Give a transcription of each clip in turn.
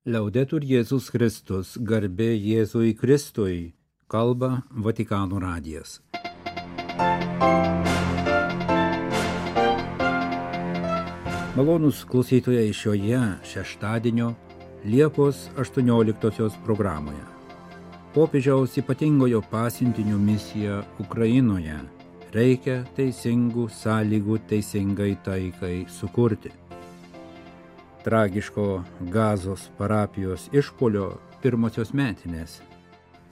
Liaudetur Jėzus Kristus, garbė Jėzui Kristui, kalba Vatikano radijas. Malonūs klausytojai šioje šeštadienio Liepos 18 programoje. Popiežiaus ypatingojo pasiuntinio misija Ukrainoje. Reikia teisingų sąlygų teisingai taikai sukurti. Tragiško Gazos parapijos išpuolio pirmosios metinės.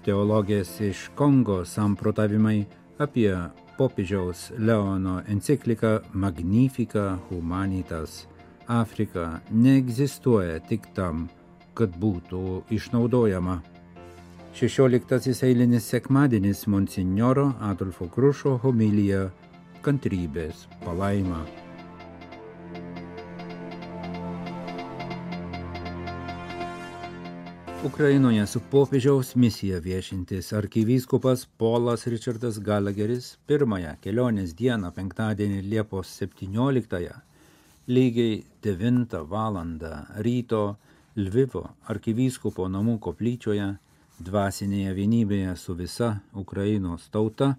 Teologės iš Kongo samprotavimai apie popiežiaus Leono encikliką Magnifica Humanitas. Afrika neegzistuoja tik tam, kad būtų išnaudojama. 16 eilinis sekmadienis monsinjoro Adolfo Krušo homilija Kantrybės palaima. Ukrainoje su popiežiaus misija viešintis arkivyskupas Polas Richardas Gallagheris pirmąją kelionės dieną penktadienį Liepos 17 lygiai 9 valandą ryto Lvivo arkivyskupo namų koplyčioje dvasinėje vienybėje su visa Ukrainos tauta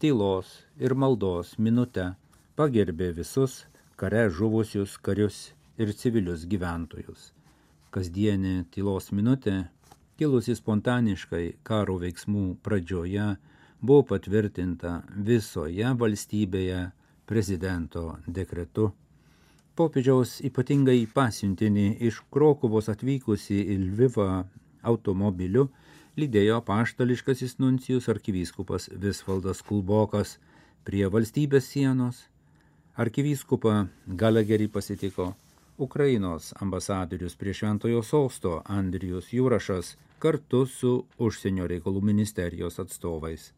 tylos ir maldos minute pagerbė visus kare žuvusius karius ir civilius gyventojus. Kasdienė tylos minutė, kilusi spontaniškai karo veiksmų pradžioje, buvo patvirtinta visoje valstybėje prezidento dekretu. Popiežiaus ypatingai pasiuntinį iš Krokuvos atvykusi į Lvivą automobiliu lydėjo apaštališkasis nuncijus arkivyskupas Visvaldas Kulbokas prie valstybės sienos. Arkivyskupą Gallagherį pasitiko Ukrainos ambasadorius prie Šventojo Sosto Andrijus Jurašas kartu su užsienio reikalų ministerijos atstovais.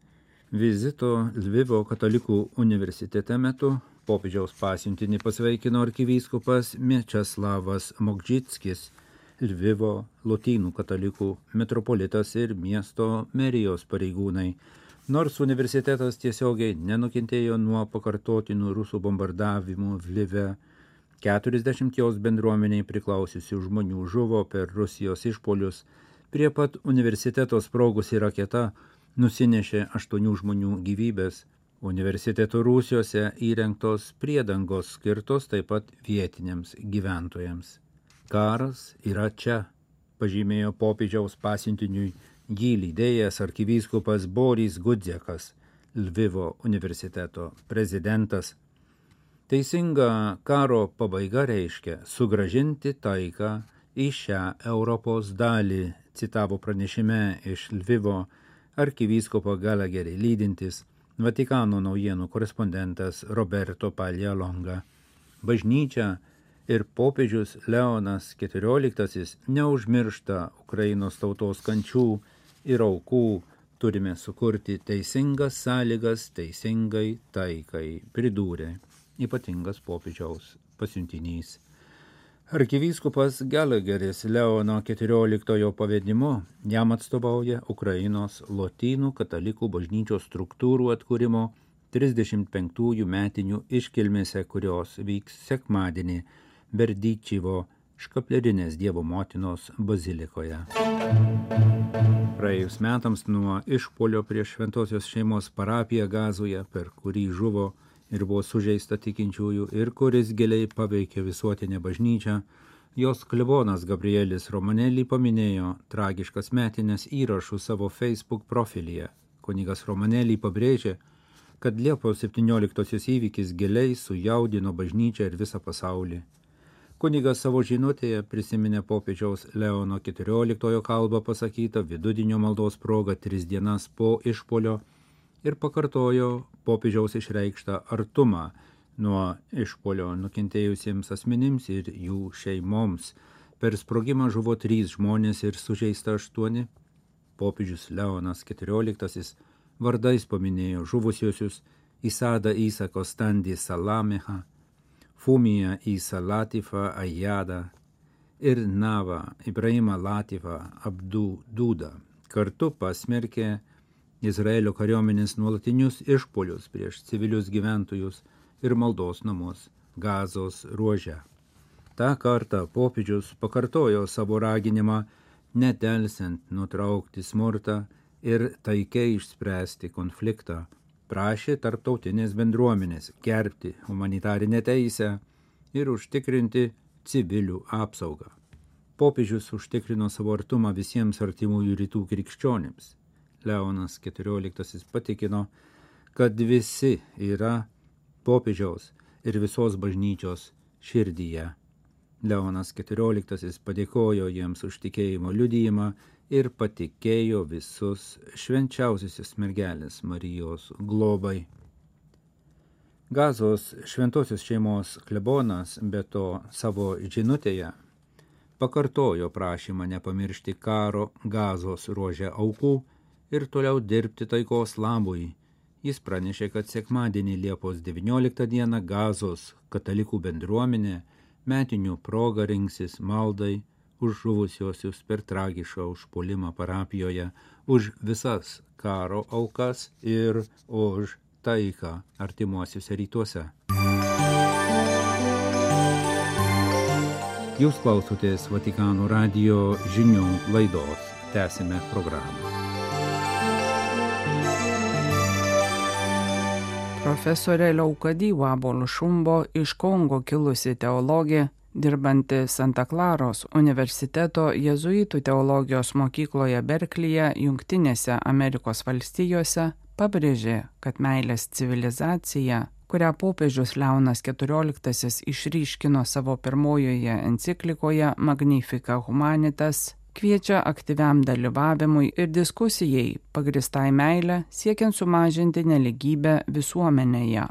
Vizito Lvivo katalikų universitete metu popiežiaus pasiuntinį pasveikino arkivyskupas Mečeslavas Mokžitskis, Lvivo lotynų katalikų metropolitas ir miesto merijos pareigūnai. Nors universitetas tiesiogiai nenukentėjo nuo pakartotinų rusų bombardavimų Lvive, 40 jos bendruomeniai priklausiusių žmonių žuvo per Rusijos išpolius. Prie pat universiteto sprogusi raketa nusinešė 8 žmonių gyvybės. Universiteto rūsiuose įrengtos priedangos skirtos taip pat vietiniams gyventojams. Karas yra čia, pažymėjo popiežiaus pasiuntiniui jį lydėjęs arkivyskupas Boris Gudzekas, Lvivo universiteto prezidentas. Teisinga karo pabaiga reiškia sugrąžinti taiką į šią Europos dalį, citavo pranešime iš Lvivo arkivyskupo Gallagherį lydintis Vatikano naujienų korespondentas Roberto Paglialonga. Bažnyčia ir popiežius Leonas XIV neužmiršta Ukrainos tautos kančių ir aukų. Turime sukurti teisingas sąlygas teisingai taikai, pridūrė ypatingas popiežiaus pasiuntinys. Arkivyskupas Gallagheris Leono XIV pavedimu jam atstovauja Ukrainos lotynų katalikų bažnyčios struktūrų atkūrimo 35 metinių iškilmėse, kurios vyks sekmadienį Berdyčivo Škaplerinės Dievo motinos bazilikoje. Praėjus metams nuo išpuolio prieš Šventosios šeimos parapiją Gazoje, per kurį žuvo ir buvo sužeista tikinčiųjų ir kuris giliai paveikė visuotinę bažnyčią, jos klebonas Gabrielis Romanelli paminėjo tragiškas metines įrašų savo Facebook profilyje. Kunigas Romanelli pabrėžė, kad Liepos 17 įvykis giliai sujaudino bažnyčią ir visą pasaulį. Kunigas savo žinutėje prisiminė popiežiaus Leono XIV kalbą pasakytą vidudienio maldos proga 3 dienas po išpuolio ir pakartojo popiežiaus išreikštą artumą nuo išpuolio nukentėjusiems asmenims ir jų šeimoms. Per sprogimą žuvo 3 žmonės ir sužeista 8. Popiežius Leonas XIV vardais paminėjo žuvusiosius Isada Isa Kostandi Salameha, Fumija Isa Latifa Ajada ir Nava Ibrahima Latifa Abdu Duda. Kartu pasmerkė Izraelio kariuomenės nuolatinius išpuolius prieš civilius gyventojus ir maldos namus Gazos ruože. Ta kartą popiežius pakartojo savo raginimą nedelsiant nutraukti smurtą ir taikiai išspręsti konfliktą. Prašė tarptautinės bendruomenės gerbti humanitarinę teisę ir užtikrinti civilių apsaugą. Popiežius užtikrino savo artumą visiems artimųjų rytų krikščionims. Leonas XIV patikino, kad visi yra popiežiaus ir visos bažnyčios širdyje. Leonas XIV padėkojo jiems už tikėjimo liudijimą ir patikėjo visus švenčiausiosios mergelės Marijos globai. Gazos šventosios šeimos klebonas be to savo žinutėje pakartojo prašymą nepamiršti karo Gazos ruože aukų ir toliau dirbti taikos labui. Jis pranešė, kad sekmadienį Liepos 19 dieną Gazos katalikų bendruomenė metinių proga rinksis maldai už žuvusiuosius per tragišką užpuolimą parapijoje, už visas karo aukas ir už taiką artimuosiuose rytuose. Jūs klausotės Vatikano radijo žinių laidos. Tęsime programą. Profesorė Leukadi Wabo Lušumbo iš Kongo kilusi teologė, dirbanti Santa Klaros universiteto jėzuitų teologijos mokykloje Berklyje, Jungtinėse Amerikos valstijose, pabrėžė, kad meilės civilizacija, kurią popiežius Leonas XIV išryškino savo pirmojoje enciklikoje Magnificat Humanitas, kviečia aktyviam dalyvavimui ir diskusijai pagristai meilę siekiant sumažinti nelygybę visuomenėje.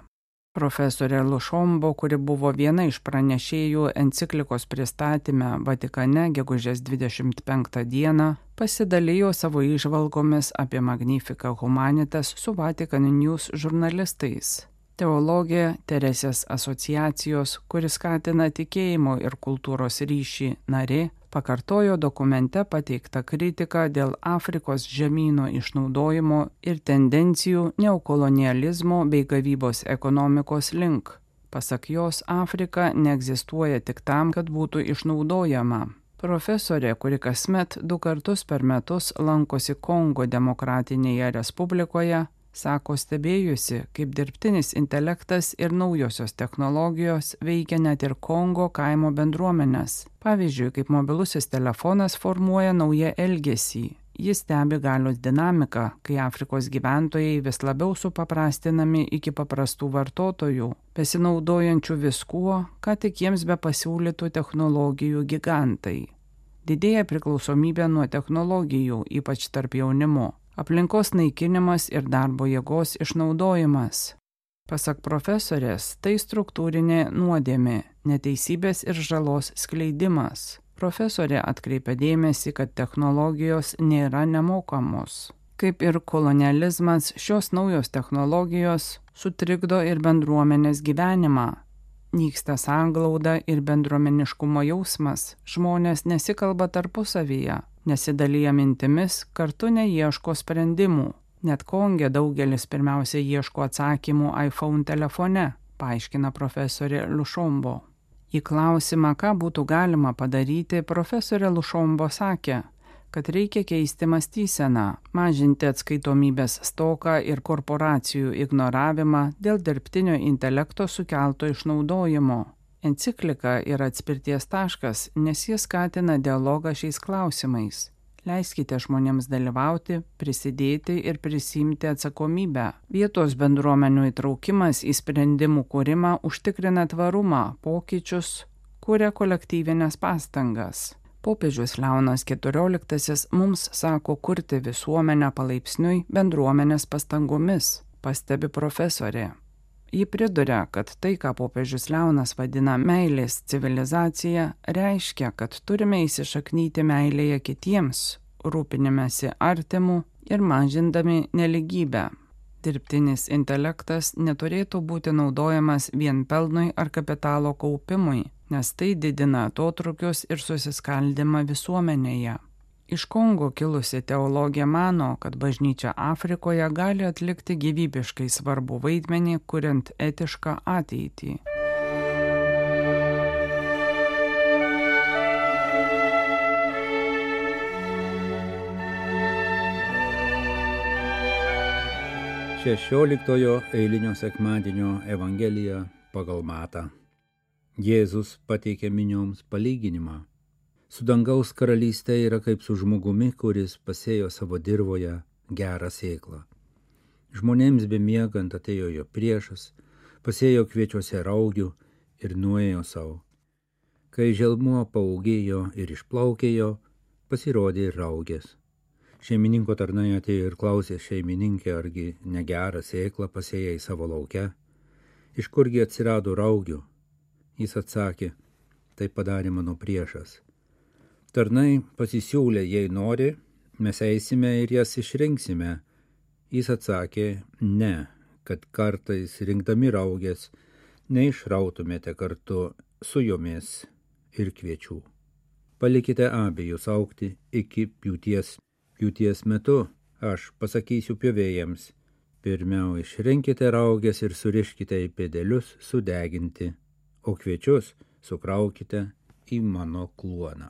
Profesorė Lušombo, kuri buvo viena iš pranešėjų enciklikos pristatyme Vatikane gegužės 25 dieną, pasidalijo savo įžvalgomis apie Magnificat Humanitas su Vatican News žurnalistais. Teologė Teresės asociacijos, kuris skatina tikėjimo ir kultūros ryšį narė, pakartojo dokumente pateiktą kritiką dėl Afrikos žemyno išnaudojimo ir tendencijų neokolonializmo bei gavybos ekonomikos link. Pasak jos, Afrika neegzistuoja tik tam, kad būtų išnaudojama. Profesorė, kuri kasmet 2 kartus per metus lankosi Kongo Demokratinėje Respublikoje, sako stebėjusi, kaip dirbtinis intelektas ir naujosios technologijos veikia net ir Kongo kaimo bendruomenės. Pavyzdžiui, kaip mobilusis telefonas formuoja naują elgesį. Jis stebi galios dinamiką, kai Afrikos gyventojai vis labiau supaprastinami iki paprastų vartotojų, pasinaudojančių viskuo, ką tik jiems be pasiūlytų technologijų gigantai. Didėja priklausomybė nuo technologijų, ypač tarp jaunimo. Aplinkos naikinimas ir darbo jėgos išnaudojimas. Pasak profesorės, tai struktūrinė nuodėmė, neteisybės ir žalos skleidimas. Profesorė atkreipia dėmesį, kad technologijos nėra nemokamos. Kaip ir kolonializmas, šios naujos technologijos sutrikdo ir bendruomenės gyvenimą. Nyksta sanglauda ir bendruomeniškumo jausmas, žmonės nesikalba tarpusavyje. Nesidalyja mintimis, kartu neieško sprendimų. Net Konge daugelis pirmiausia ieško atsakymų iPhone telefone, paaiškina profesorė Lušombo. Į klausimą, ką būtų galima padaryti, profesorė Lušombo sakė, kad reikia keisti mąstyseną, mažinti atskaitomybės stoką ir korporacijų ignoravimą dėl dirbtinio intelekto sukelto išnaudojimo. Enciklika yra atspirties taškas, nes jis skatina dialogą šiais klausimais. Leiskite žmonėms dalyvauti, prisidėti ir prisiimti atsakomybę. Vietos bendruomenių įtraukimas į sprendimų kūrimą užtikrina tvarumą, pokyčius, kuria kolektyvinės pastangas. Popiežius Leonas XIV mums sako kurti visuomenę palaipsniui bendruomenės pastangomis, pastebi profesorė. Ji priduria, kad tai, ką popiežius Leonas vadina meilės civilizacija, reiškia, kad turime įsišaknyti meilėje kitiems, rūpinimėsi artimu ir mažindami nelygybę. Dirbtinis intelektas neturėtų būti naudojamas vien pelnui ar kapitalo kaupimui, nes tai didina atotrukius ir susiskaldimą visuomenėje. Iš Kongo kilusi teologė mano, kad bažnyčia Afrikoje gali atlikti gyvybiškai svarbų vaidmenį, kuriant etišką ateitį. 16 eilinio sekmadienio Evangelija pagal Matą. Jėzus pateikė minioms palyginimą. Su dangaus karalystė yra kaip su žmogumi, kuris pasėjo savo dirvoje gerą sėklą. Žmonėms bemiegant atėjo jo priešas, pasėjo kviečiuose raugių ir nuėjo savo. Kai želmuo paaugėjo ir išplaukėjo, pasirodė ir raugės. Šeimininko tarnai atėjo ir klausė šeimininkę, argi negerą sėklą pasėjai savo lauke. Iš kurgi atsirado raugių? Jis atsakė, tai padarė mano priešas. Tarnai pasisiūlė, jei nori, mes eisime ir jas išrinksime. Jis atsakė, ne, kad kartais rinkdami raugės, neišrautumėte kartu su jomis ir kviečių. Palikite abejus augti iki pjūties. Pjūties metu aš pasakysiu pjovėjams, pirmiau išrinkite raugės ir suriškite į pėdelius sudeginti, o kviečius sukraukite į mano kluoną.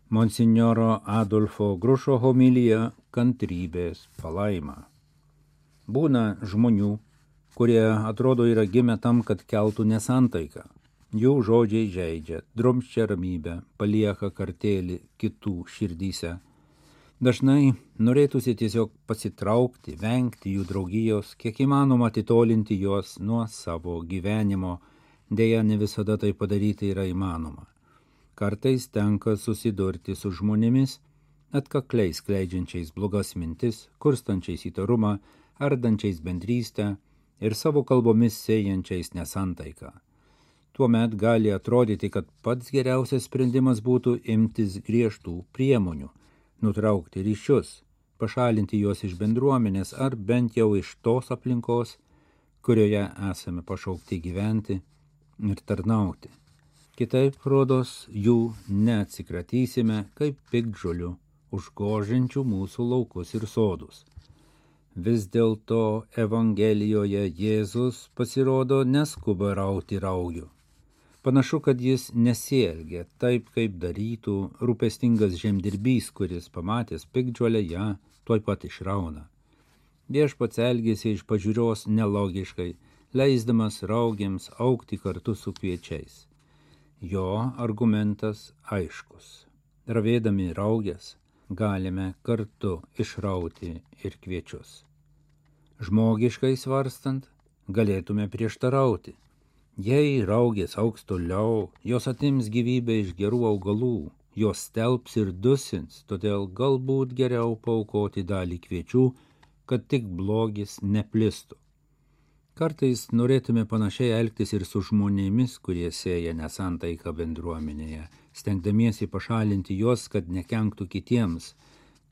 Monsinjoro Adolfo Grušo homilija kantrybės palaima. Būna žmonių, kurie atrodo yra gimę tam, kad keltų nesantaiką. Jų žodžiai žeidžia, drumsčia ramybę, palieka kartėlį kitų širdyse. Dažnai norėtųsi tiesiog pasitraukti, vengti jų draugijos, kiek įmanoma atitolinti juos nuo savo gyvenimo, deja ne visada tai padaryti yra įmanoma. Kartais tenka susidurti su žmonėmis, atkakliai skleidžiančiais blogas mintis, kurstančiais įtarumą, ardančiais bendrystę ir savo kalbomis sėjančiais nesantaiką. Tuomet gali atrodyti, kad pats geriausias sprendimas būtų imtis griežtų priemonių, nutraukti ryšius, pašalinti juos iš bendruomenės ar bent jau iš tos aplinkos, kurioje esame pašaukti gyventi ir tarnauti. Kitaip, rodos, jų neatsikratysime kaip piktžolių, užgožiančių mūsų laukus ir sodus. Vis dėlto Evangelijoje Jėzus pasirodo neskuba rauti raugių. Panašu, kad jis nesielgia taip, kaip darytų rūpestingas žemdirbys, kuris pamatęs piktžolę ją tuoj pat išrauna. Viešpats elgėsi iš pažiūros nelogiškai, leisdamas raugėms augti kartu su kviečiais. Jo argumentas aiškus. Ravėdami raugės galime kartu išrauti ir kviečius. Žmogiškai svarstant, galėtume prieštarauti. Jei raugės augs toliau, jos atims gyvybę iš gerų augalų, jos stelbs ir dusins, todėl galbūt geriau paaukoti dalį kviečių, kad tik blogis neplistų. Kartais norėtume panašiai elgtis ir su žmonėmis, kurie sėja nesantaiką bendruomenėje, stengdamiesi pašalinti juos, kad nekenktų kitiems,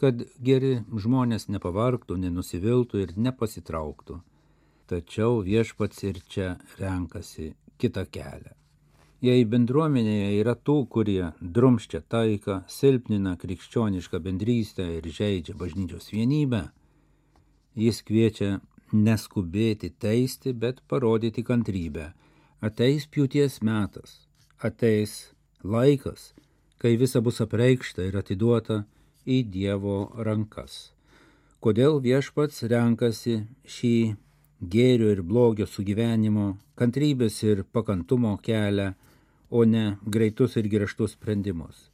kad geri žmonės nepavargtų, nenusiviltų ir nepasitrauktų. Tačiau viešpats ir čia renkasi kitą kelią. Jei bendruomenėje yra tų, kurie drumsčia taiką, silpnina krikščionišką bendrystę ir žeidžia bažnyčios vienybę, jis kviečia neskubėti teisti, bet parodyti kantrybę. Ateis pjūties metas, ateis laikas, kai visa bus apreikšta ir atiduota į Dievo rankas. Kodėl viešpats renkasi šį gėrio ir blogio sugyvenimo, kantrybės ir pakantumo kelią, o ne greitus ir griežtus sprendimus?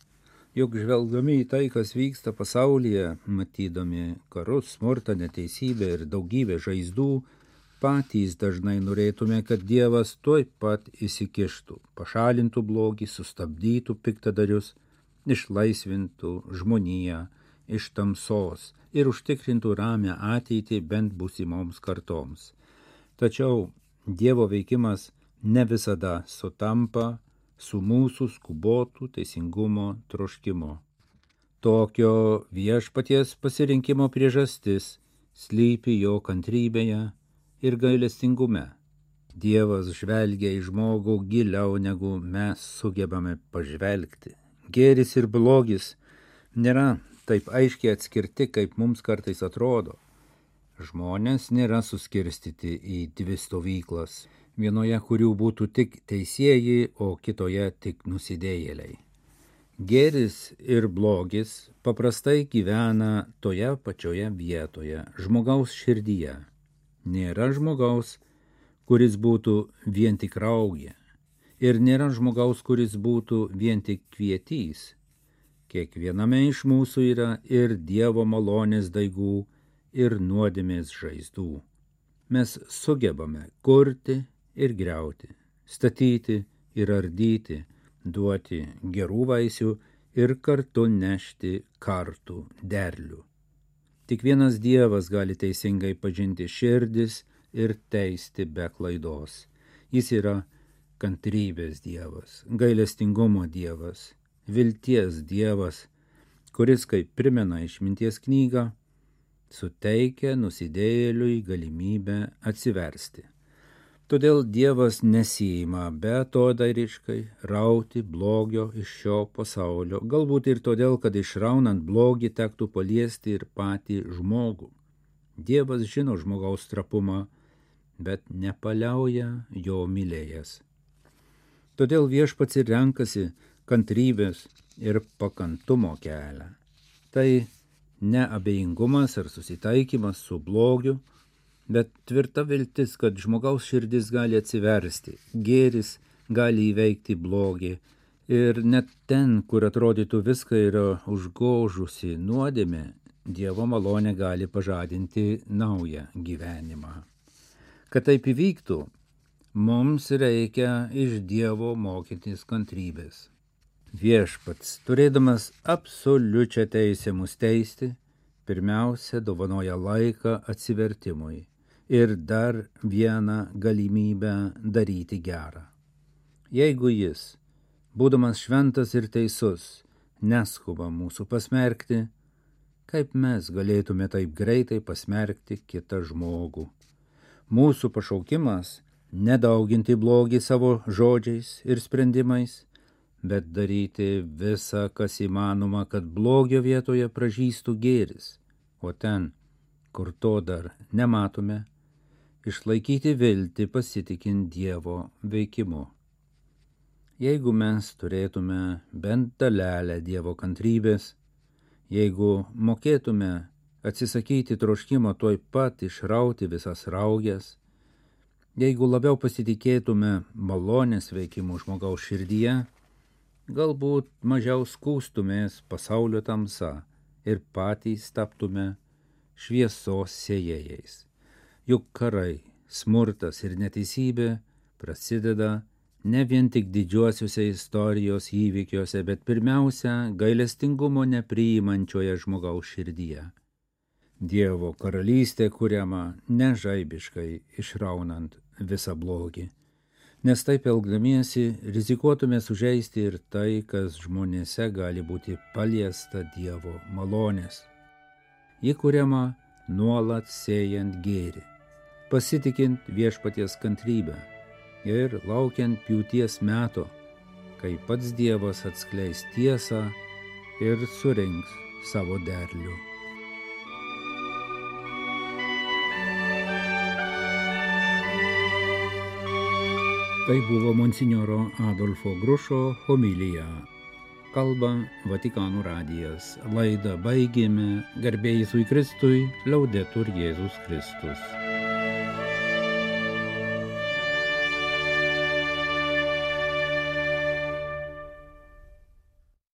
Juk žvelgdami į tai, kas vyksta pasaulyje, matydami karus, smurtą, neteisybę ir daugybę žaizdų, patys dažnai norėtume, kad Dievas tuoj pat įsikištų, pašalintų blogį, sustabdytų piktadarius, išlaisvintų žmoniją iš tamsos ir užtikrintų ramią ateitį bent būsimoms kartoms. Tačiau Dievo veikimas ne visada sutampa su mūsų skubotų teisingumo troškimu. Tokio viešpaties pasirinkimo priežastis slypi jo kantrybėje ir gailestingume. Dievas žvelgia į žmogų giliau, negu mes sugebame pažvelgti. Gėris ir blogis nėra taip aiškiai atskirti, kaip mums kartais atrodo. Žmonės nėra suskirstyti į dvi stovyklas, vienoje kurių būtų tik teisieji, o kitoje tik nusidėjėliai. Gėris ir blogis paprastai gyvena toje pačioje vietoje, žmogaus širdyje. Nėra žmogaus, kuris būtų vien tik raugė. Ir nėra žmogaus, kuris būtų vien tik kvietys. Kiekviename iš mūsų yra ir Dievo malonės daigų, ir nuodėmės žaizdų. Mes sugebame kurti ir griauti, statyti ir ardyti, duoti gerų vaisių ir kartu nešti kartų derlių. Tik vienas Dievas gali teisingai pažinti širdis ir teisti be klaidos. Jis yra kantrybės Dievas, gailestingumo Dievas, vilties Dievas, kuris, kaip primena Išminties knygą, suteikia nusidėjėliui galimybę atsiversti. Todėl Dievas nesiima beatodairiškai rauti blogio iš šio pasaulio, galbūt ir todėl, kad išraunant blogį tektų paliesti ir patį žmogų. Dievas žino žmogaus trapumą, bet nepaliauja jo mylėjęs. Todėl Viešpats ir renkasi kantrybės ir pakantumo kelią. Tai ne abejingumas ar susitaikymas su blogiu, bet tvirta viltis, kad žmogaus širdis gali atsiversti, gėris gali įveikti blogį ir net ten, kur atrodytų viską yra užgožusi nuodėmė, Dievo malonė gali pažadinti naują gyvenimą. Kad taip įvyktų, mums reikia iš Dievo mokytis kantrybės. Viešpats, turėdamas absoliučią teisę mus teisti, pirmiausia dovanoja laiką atsivertimui ir dar vieną galimybę daryti gerą. Jeigu jis, būdamas šventas ir teisus, neskuba mūsų pasmerkti, kaip mes galėtume taip greitai pasmerkti kitą žmogų? Mūsų pašaukimas nedauginti blogį savo žodžiais ir sprendimais, bet daryti visą, kas įmanoma, kad blogio vietoje pražystų gėris, o ten, kur to dar nematome, išlaikyti viltį pasitikint Dievo veikimu. Jeigu mes turėtume bent dalelę Dievo kantrybės, jeigu mokėtume atsisakyti troškimo tuoj pat išrauti visas rauges, jeigu labiau pasitikėtume malonės veikimu žmogaus širdyje, galbūt mažiau skųstumės pasaulio tamsa ir patys taptume šviesos sėjėjais. Juk karai, smurtas ir neteisybė prasideda ne vien tik didžiuosiuose istorijos įvykiuose, bet pirmiausia gailestingumo nepriimančioje žmogaus širdyje. Dievo karalystė kuriama nežaibiškai išraunant visą blogį, nes taip elgdamiesi rizikuotume sužeisti ir tai, kas žmonėse gali būti paliesta Dievo malonės. Ji kuriama nuolat sėjant gėrį, pasitikint Viešpaties kantrybę ir laukiant pjūties meto, kai pats Dievas atskleis tiesą ir surinks savo derlių. Tai buvo monsinjoro Adolfo Grušo homilija. Kalba Vatikano radijas. Laidą baigėme. Garbė Jėzui Kristui, Laudetur Jėzus Kristus.